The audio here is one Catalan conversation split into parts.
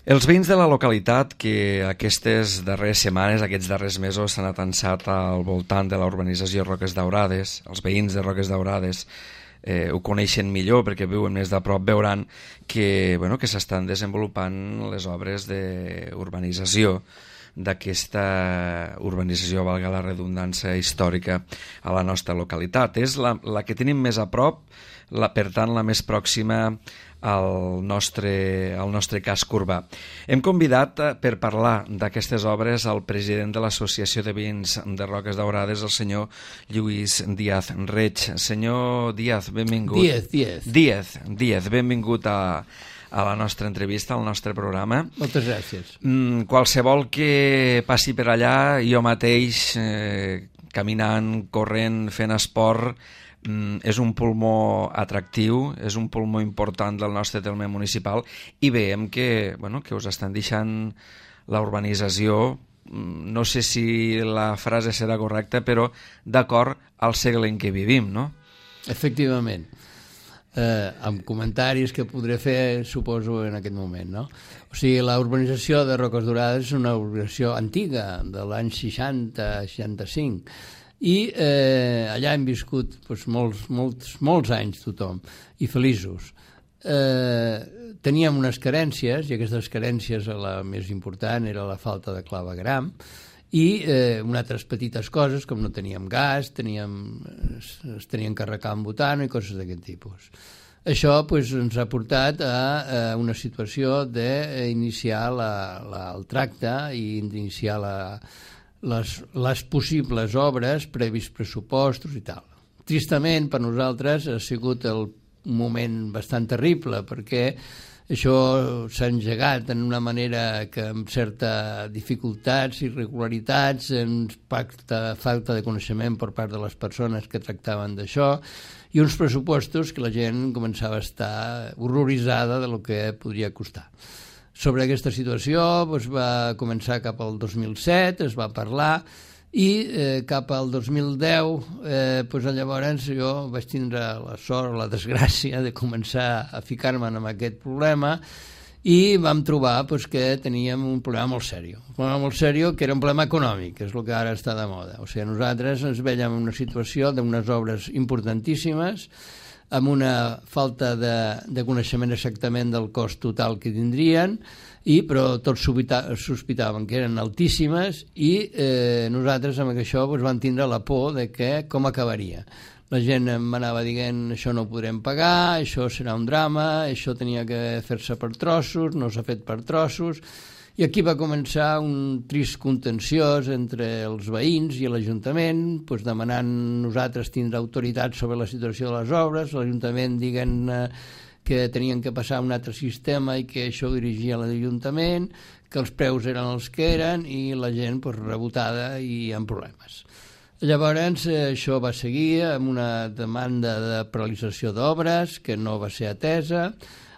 Els veïns de la localitat que aquestes darreres setmanes, aquests darrers mesos s'han atansat al voltant de la urbanització Roques Daurades, els veïns de Roques Daurades ho coneixen millor perquè viuen més de prop, veuran que, que s'estan desenvolupant les obres d'urbanització d'aquesta urbanització, valga la redundància, històrica a la nostra localitat. És la que tenim més a prop, per tant la més pròxima al nostre casc urbà. Hem convidat per parlar d'aquestes obres al president de l'Associació de Veïns de Roques Daurades, el senyor Lluís Díaz Reig. Senyor Díaz, benvingut. Díaz, benvingut a la nostra entrevista, al nostre programa. Moltes gràcies. Qualsevol que passi per allà, jo mateix, caminant, corrent, fent esport, és un pulmó atractiu, és un pulmó important del nostre terme municipal i veiem que us estan deixant la urbanització, no sé si la frase serà correcta, però d'acord al segle en què vivim, no? Efectivament. Amb comentaris que podré fer, suposo, en aquest moment, no? O sigui, la urbanització de Roques Daurades és una urbanització antiga, de l'any 60-65, i allà hem viscut molts anys tothom, i feliços. Teníem unes carències, i aquestes carències la més important era la falta de clavegram, i unes altres petites coses, com no teníem gas, es tenien que arrecar amb butano i coses d'aquest tipus. Això ens ha portat a una situació d'iniciar el tracte i d'iniciar les possibles obres, previs pressupostos i tal. Tristament, per nosaltres, ha sigut un moment bastant terrible, perquè això s'ha engegat en una manera que amb certa dificultats, irregularitats, falta de coneixement per part de les persones que tractaven d'això, i uns pressupostos que la gent començava a estar horroritzada de lo que podria costar. Sobre aquesta situació va començar cap al 2007, es va parlar, i cap al 2010 llavors jo vaig tindre la sort, la desgràcia de començar a ficar-me en aquest problema i vam trobar que teníem un problema molt seriós. Un problema molt seriós que era un problema econòmic, que és el que ara està de moda. O sigui, nosaltres ens veiem en una situació d'unes obres importantíssimes, amb una falta de coneixement exactament del cost total que tindrien, però tots sospitaven que eren altíssimes i nosaltres amb això vam tindre la por de com acabaria. La gent m'anava dient això no ho podrem pagar, això serà un drama, això tenia que fer-se per trossos, no s'ha fet per trossos. I aquí va començar un trist contenciós entre els veïns i l'Ajuntament, demanant nosaltres tindre autoritat sobre la situació de les obres, l'Ajuntament dient que tenien que passar a un altre sistema i que això ho dirigia l'Ajuntament, que els preus eren els que eren i la gent rebotada i amb problemes. Llavors això va seguir amb una demanda de paralització d'obres que no va ser atesa.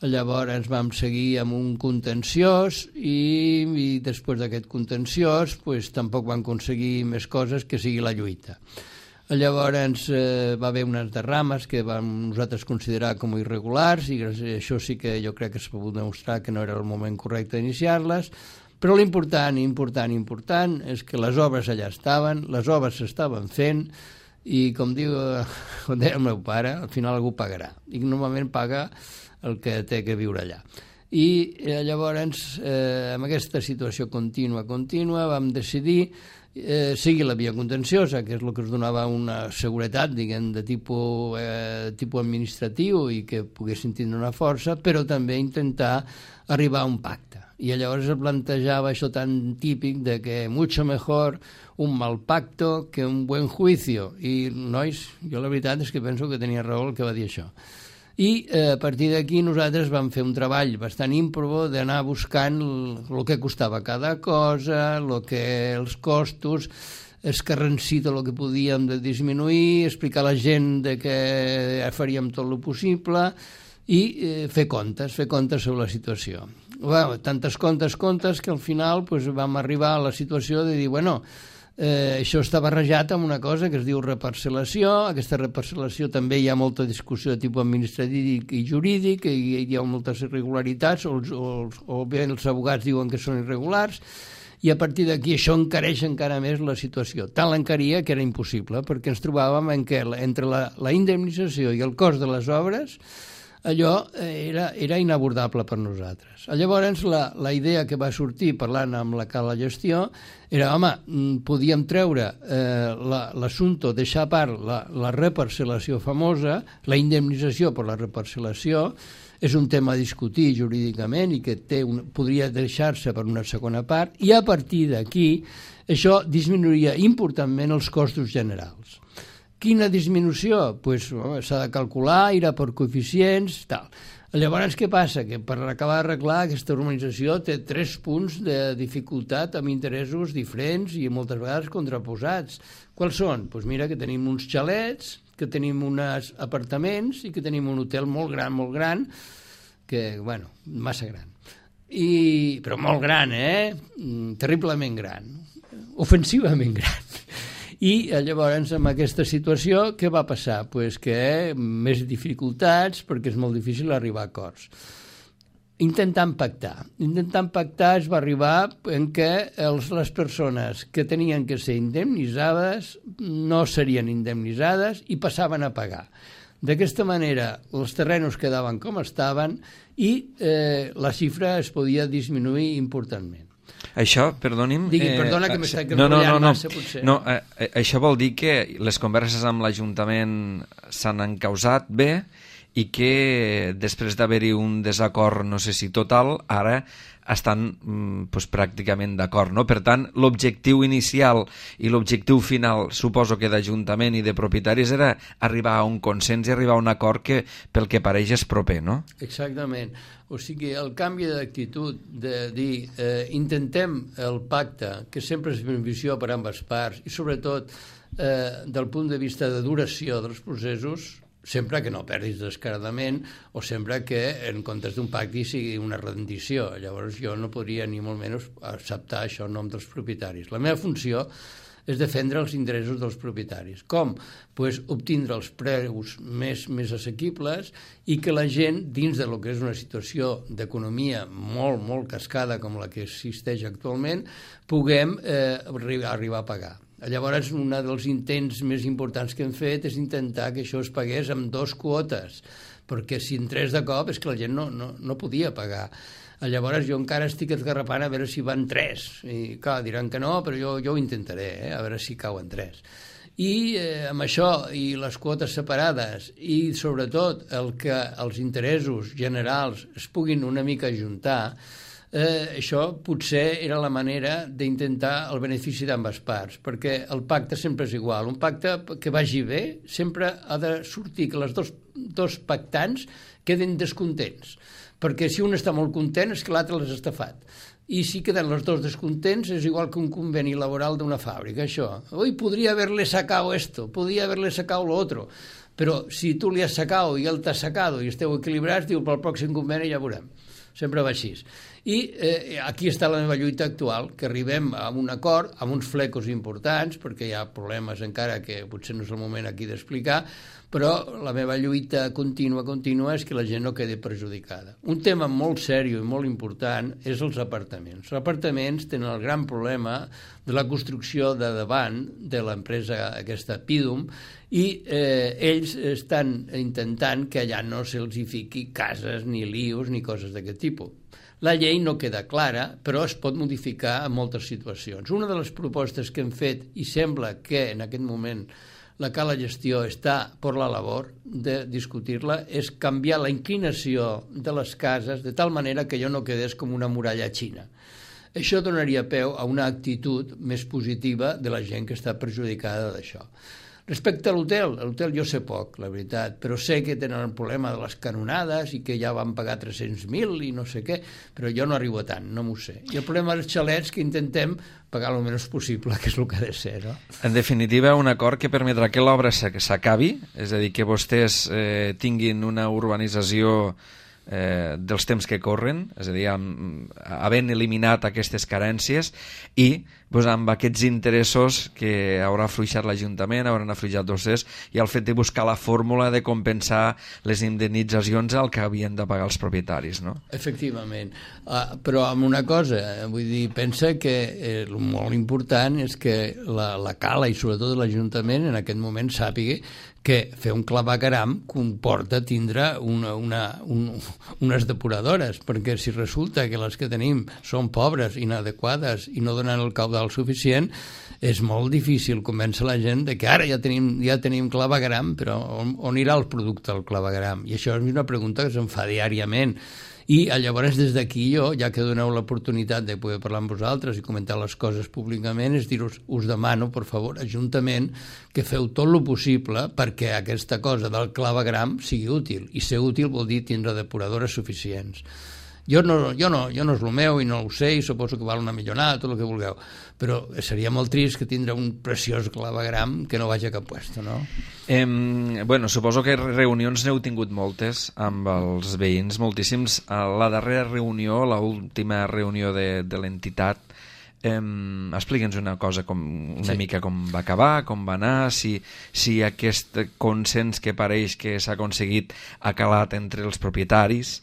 Llavors vam seguir amb un contenciós i després d'aquest contenciós tampoc vam aconseguir més coses que sigui la lluita. Llavors va haver unes derrames que vam nosaltres considerar com irregulars i això sí que jo crec que s'ha pogut demostrar que no era el moment correcte d'iniciar-les, però l'important és que les obres allà estaven, les obres s'estaven fent i com deia el meu pare, al final algú pagarà i normalment paga el que té que viure allà. I llavors, amb aquesta situació contínua, vam decidir seguir la via contenciosa, que és el que ens donava una seguretat, diguem, de tipus administratiu i que poguessin tindre una força, però també intentar arribar a un pacte. I llavors es plantejava això tan típic de que mucho mejor un mal pacto que un buen juicio. I, nois, jo la veritat és que penso que tenia raó el que va dir això. I a partir d'aquí nosaltres vam fer un treball bastant ímprobo d'anar buscant el que costava cada cosa, els costos, escarransir tot el que podíem de disminuir, explicar a la gent que faríem tot el possible i fer comptes sobre la situació. Tantes comptes que al final vam arribar a la situació de dir, Això està barrejat amb una cosa que es diu reparcel·lació. Aquesta reparcel·lació també hi ha molta discussió de tipus administratiu i jurídic, i hi ha moltes irregularitats, o bé els abogats diuen que són irregulars, i a partir d'aquí això encareix encara més la situació. Tant l'encaria que era impossible, perquè ens trobàvem en què entre la indemnització i el cost de les obres allò era inabordable per nosaltres. Llavors, la idea que va sortir parlant amb la Cala Gestió era, home, podíem treure l'assumpte, deixar a part la reparcel·lació famosa, la indemnització per la reparcel·lació, és un tema a discutir jurídicament i que podria deixar-se per una segona part, i a partir d'aquí això disminuiria importantment els costos generals. Quina disminució? Pues s'ha de calcular, irà per coeficients, tal. Llavors, què passa? Que per acabar d'arreglar aquesta urbanització té 3 punts de dificultat amb interessos diferents i moltes vegades contraposats. Quals són? Doncs mira que tenim uns xalets, que tenim uns apartaments i que tenim un hotel molt gran, que, bueno, massa gran. Però molt gran, terriblement gran, ofensivament gran. I llavors, amb aquesta situació, què va passar? Pues que més dificultats, perquè és molt difícil arribar a acords. Intentant pactar es va arribar en què les persones que tenien que ser indemnitzades no serien indemnitzades i passaven a pagar. D'aquesta manera, els terrenys quedaven com estaven i la xifra es podia disminuir importantment. Això, perdoni'm... Perdona que m'està enrotllant massa, potser. No, això vol dir que les converses amb l'Ajuntament s'han encausat bé i que després d'haver-hi un desacord, no sé si total, ara estan pràcticament d'acord, no? Per tant, l'objectiu inicial i l'objectiu final, suposo que d'Ajuntament i de propietaris, era arribar a un consens i arribar a un acord que, pel que pareix, és proper, no? Exactament. O sigui, el canvi d'actitud de dir intentem el pacte, que sempre és benefició per ambes parts, i sobretot del punt de vista de duració dels processos, sempre que no perdis descaradament o sempre que en comptes d'un pacte sigui una rendició. Llavors jo no podria ni molt menys acceptar això en nom dels propietaris. La meva funció és defendre els interessos dels propietaris. Com? Pues obtindre els preus més assequibles i que la gent, dins de lo que és una situació d'economia molt, molt cascada com la que existeix actualment, puguem arribar a pagar. Llavors, un dels intents més importants que hem fet és intentar que això es pagués amb 2 quotes, perquè si en 3 de cop és que la gent no podia pagar. Llavors jo encara estic esgarrapant a veure si van 3, i clar, diran que no, però jo ho intentaré, a veure si cauen 3. I amb això, i les quotes separades, i sobretot que els interessos generals es puguin una mica ajuntar, això potser era la manera d'intentar el benefici d'ambes parts, perquè el pacte sempre és igual. Un pacte que vagi bé sempre ha de sortir que els dos pactants queden descontents, perquè si un està molt content és que l'altre l'ha estafat. I si queden els dos descontents és igual que un conveni laboral d'una fàbrica, això. Ui, podria haberle sacado esto, podria haberle sacado lo otro, però si tu li has sacado i ell t'ha sacado i esteu equilibrats, diu, pel pròxim conveni ja veurem. Sempre va així. I aquí està la meva lluita actual, que arribem a un acord, amb uns flecos importants, perquè hi ha problemes encara que potser no és el moment aquí d'explicar, però la meva lluita contínua és que la gent no quedi perjudicada. Un tema molt seriós i molt important és els apartaments. Els apartaments tenen el gran problema de la construcció de davant de l'empresa aquesta Pidum i ells estan intentant que allà no se'ls hi fiqui cases, ni lius, ni coses d'aquest tipus. La llei no queda clara, però es pot modificar en moltes situacions. Una de les propostes que hem fet, i sembla que en aquest moment la Cala Gestió està per la labor de discutir-la, és canviar la inclinació de les cases de tal manera que allò no quedés com una muralla xina. Això donaria peu a una actitud més positiva de la gent que està perjudicada d'això. Respecte a l'hotel jo sé poc, la veritat, però sé que tenen el problema de les canonades i que ja van pagar 300.000 i no sé què, però jo no arribo a tant, no m'ho sé. I el problema dels xalets que intentem pagar el menys possible, que és el que ha de ser, no? En definitiva, un acord que permetrà que l'obra s'acabi, és a dir, que vostès tinguin una urbanització dels temps que corren, és a dir, havent eliminat aquestes carències i amb aquests interessos que haurà afluixat l'Ajuntament, hauran afluixat vostès, i el fet de buscar la fórmula de compensar les indemnitzacions al que havien de pagar els propietaris, no? Efectivament, però amb una cosa, vull dir, pensa que el molt important és que la Cala i sobretot l'Ajuntament en aquest moment sàpiga que fer un clavegueram comporta tindre unes depuradores, perquè si resulta que les que tenim són pobres, inadequades i no donen el caudal suficient, és molt difícil convèncer la gent de que ara ja tenim clavegueram, però on irà el producte del clavegueram? I això és una pregunta que se'm fa diàriament. I llavors des d'aquí jo, ja que doneu l'oportunitat de poder parlar amb vosaltres i comentar les coses públicament, és dir-vos, us demano, per favor, Ajuntament, que feu tot el possible perquè aquesta cosa del clavegueram sigui útil. I ser útil vol dir tindre depuradores suficients. Jo no és el meu i no ho sé i suposo que val una millonada, tot el que vulgueu, però seria molt trist que tindre un preciós clavegueram que no vagi a cap puesto, no? Suposo que reunions n'heu tingut moltes amb els veïns, moltíssims. La darrera reunió, l'última reunió de l'entitat, explica'ns una cosa, mica com va acabar, com va anar, si aquest consens que pareix que s'ha aconseguit ha calat entre els propietaris.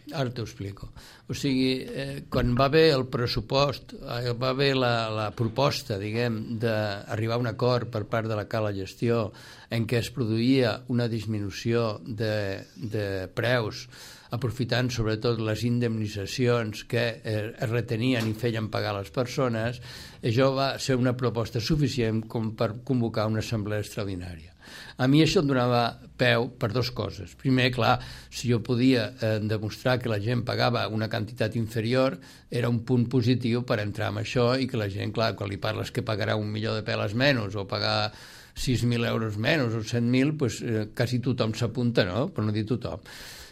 Ara t'ho explico. O sigui, quan va haver el pressupost, va haver la proposta, diguem, d'arribar a un acord per part de la Cala Gestió en què es produïa una disminució de preus, aprofitant sobretot les indemnitzacions que es retenien i feien pagar les persones, això va ser una proposta suficient com per convocar una assemblea extraordinària. A mi això em donava peu per dues coses. Primer, clar, si jo podia demostrar que la gent pagava una quantitat inferior, era un punt positiu per entrar en això i que la gent, clar, quan li parles que pagarà 1 milió de peles menys o pagar 6.000 euros menys o 100.000, doncs quasi tothom s'apunta, no? Per no dir tothom.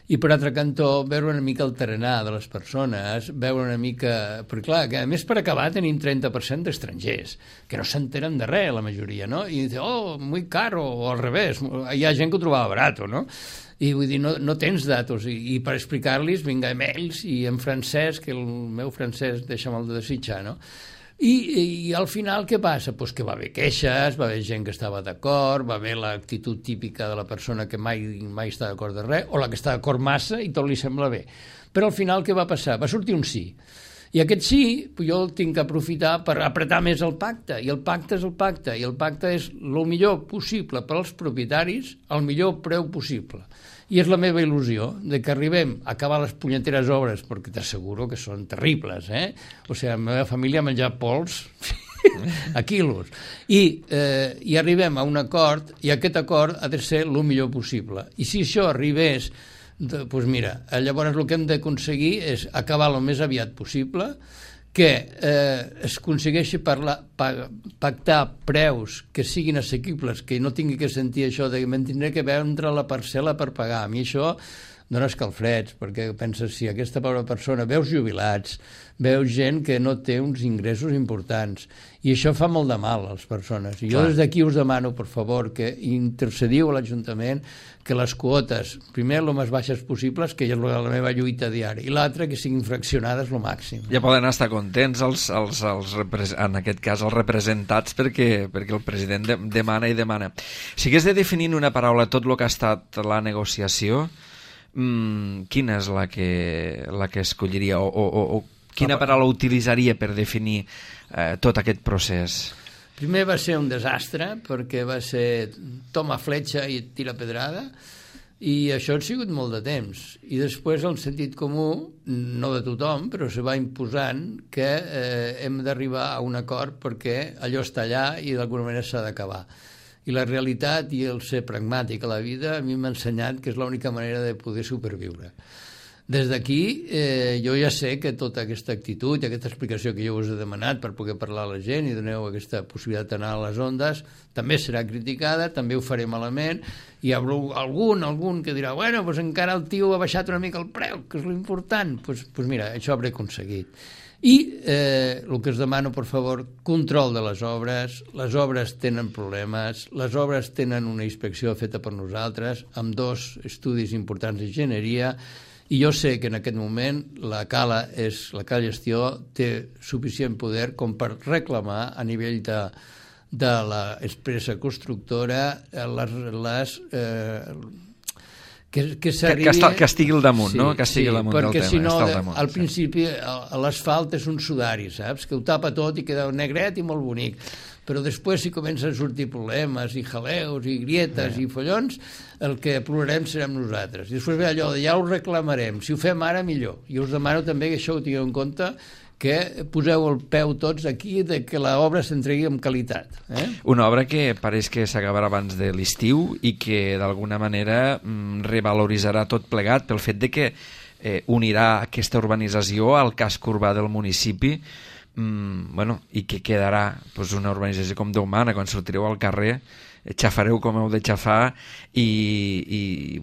I per altre cantó, veure una mica el tarannà de les persones, veure una mica... Perquè clar, que a més per acabar tenim 30% d'estrangers, que no s'enteren de res, la majoria, no? I diuen, oh, muy caro, o al revés, hi ha gent que ho trobava barat, no? I vull dir, no tens datos, i per explicar-los, vinga, mails, i en francès, que el meu francès deixa molt de desitjar, no? I al final què passa? Pues que va haver queixes, va haver gent que estava d'acord, va haver l'actitud típica de la persona que mai està d'acord de res, o la que està d'acord massa i tot li sembla bé. Però al final què va passar? Va sortir un sí. I aquest sí, jo el tinc que aprofitar per apretar més el pacte, i el pacte és el pacte, i el pacte és el millor possible per als propietaris al millor preu possible. I és la meva il·lusió de que arribem a acabar les punyeteres obres, perquè t'asseguro que són terribles, O sigui, la meva família ha menjat pols a quilos. I arribem a un acord, i aquest acord ha de ser el millor possible. I si això arribés, doncs mira, llavors el que hem d'aconseguir és acabar el més aviat possible, que es aconsegueixi pactar preus que siguin assequibles, que no tingui que sentir això de que tindré que vendre la parcel·la per pagar. A mi això dona escalfreds, perquè penses, si aquesta pobra persona, veus jubilats, veus gent que no té uns ingressos importants, i això fa molt de mal a les persones. I jo des d'aquí us demano, per favor, que intercediu a l'Ajuntament que les quotes, primer, el més baixes possibles, que és la meva lluita diària, i l'altra, que siguin fraccionades el màxim. Ja poden estar contents, en aquest cas, els representats, perquè el president demana i demana. Si hagués de definir una paraula tot el que ha estat la negociació, quina és la que escolliria o quina paraula utilitzaria per definir tot aquest procés? Primer va ser un desastre, perquè va ser toma fletxa i tira pedrada, i això ha sigut molt de temps. I després el sentit comú, no de tothom, però se va imposant que hem d'arribar a un acord perquè allò està allà i d'alguna manera s'ha d'acabar. I la realitat i el ser pragmàtic a la vida a mi m'ha ensenyat que és l'única manera de poder superviure. Des d'aquí jo ja sé que tota aquesta actitud i aquesta explicació que jo us he demanat per poder parlar a la gent i doneu aquesta possibilitat d'anar a les ondes també serà criticada, també ho faré malament, i hi haurà algun que dirà, bueno, doncs encara el tio ha baixat una mica el preu, que és l'important. Doncs mira, això hauré aconseguit. I el que us demano, per favor, control de les obres tenen problemes, les obres tenen una inspecció feta per nosaltres, amb 2 estudis importants d'enginyeria, I jo sé que en aquest moment la Cala Gestió té suficient poder com per reclamar a nivell de l'empresa constructora que estigui al damunt, no? Que estigui al damunt del tema. Perquè si no, al principi l'asfalt és un sudari, saps? Que ho tapa tot i queda negret i molt bonic. Però després, si comencen a sortir problemes i jaleus i grietes i follons, el que plorarem serem nosaltres. I després ve allò de ja ho reclamarem, si ho fem ara millor. I us demano també que això ho tingueu en compte, que poseu el peu tots aquí de que l'obra s'entregui amb qualitat. Una obra que pareix que s'acabarà abans de l'estiu i que d'alguna manera revaloritzarà tot plegat pel fet de que unirà aquesta urbanització al casc urbà del municipi, i que quedarà una urbanització com Déu mana. Quan sortireu al carrer xafareu com heu de xafar i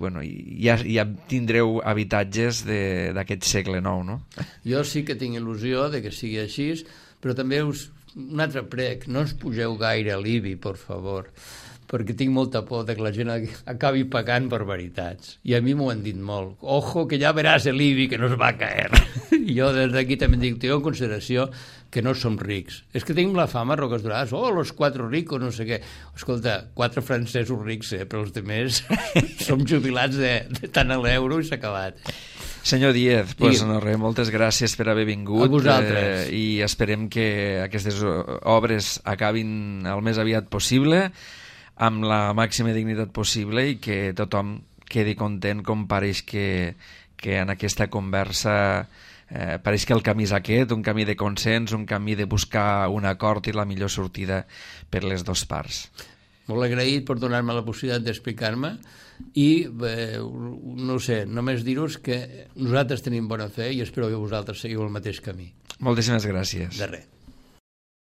ja tindreu habitatges d'aquest segle IX, no? Jo sí que tinc il·lusió de que sigui així, però també un altre prec, no ens pugeu gaire a l'IBI, per favor, perquè tinc molta por que la gent acabi pagant barbaritats. I a mi m'ho han dit molt. Ojo, que ja veràs l'IBI que no es va a caer. I jo des d'aquí també dic, tinc en consideració que no som rics. És que tenim la fama, Roques Daurades, los 4 ricos, no sé què. Escolta, 4 francesos rics, però els altres som jubilats de tant a l'euro i s'ha acabat. Senyor Díez, moltes gràcies per haver vingut. A vosaltres. I esperem que aquestes obres acabin el més aviat possible, amb la màxima dignitat possible, i que tothom quedi content, com pareix que en aquesta conversa pareix que el camí és aquest, un camí de consens, un camí de buscar un acord i la millor sortida per les dues parts. Molt agraït per donar-me la possibilitat d'explicar-me i, no sé, només dir-vos que nosaltres tenim bona fe i espero que vosaltres seguiu el mateix camí. Moltíssimes gràcies. De res.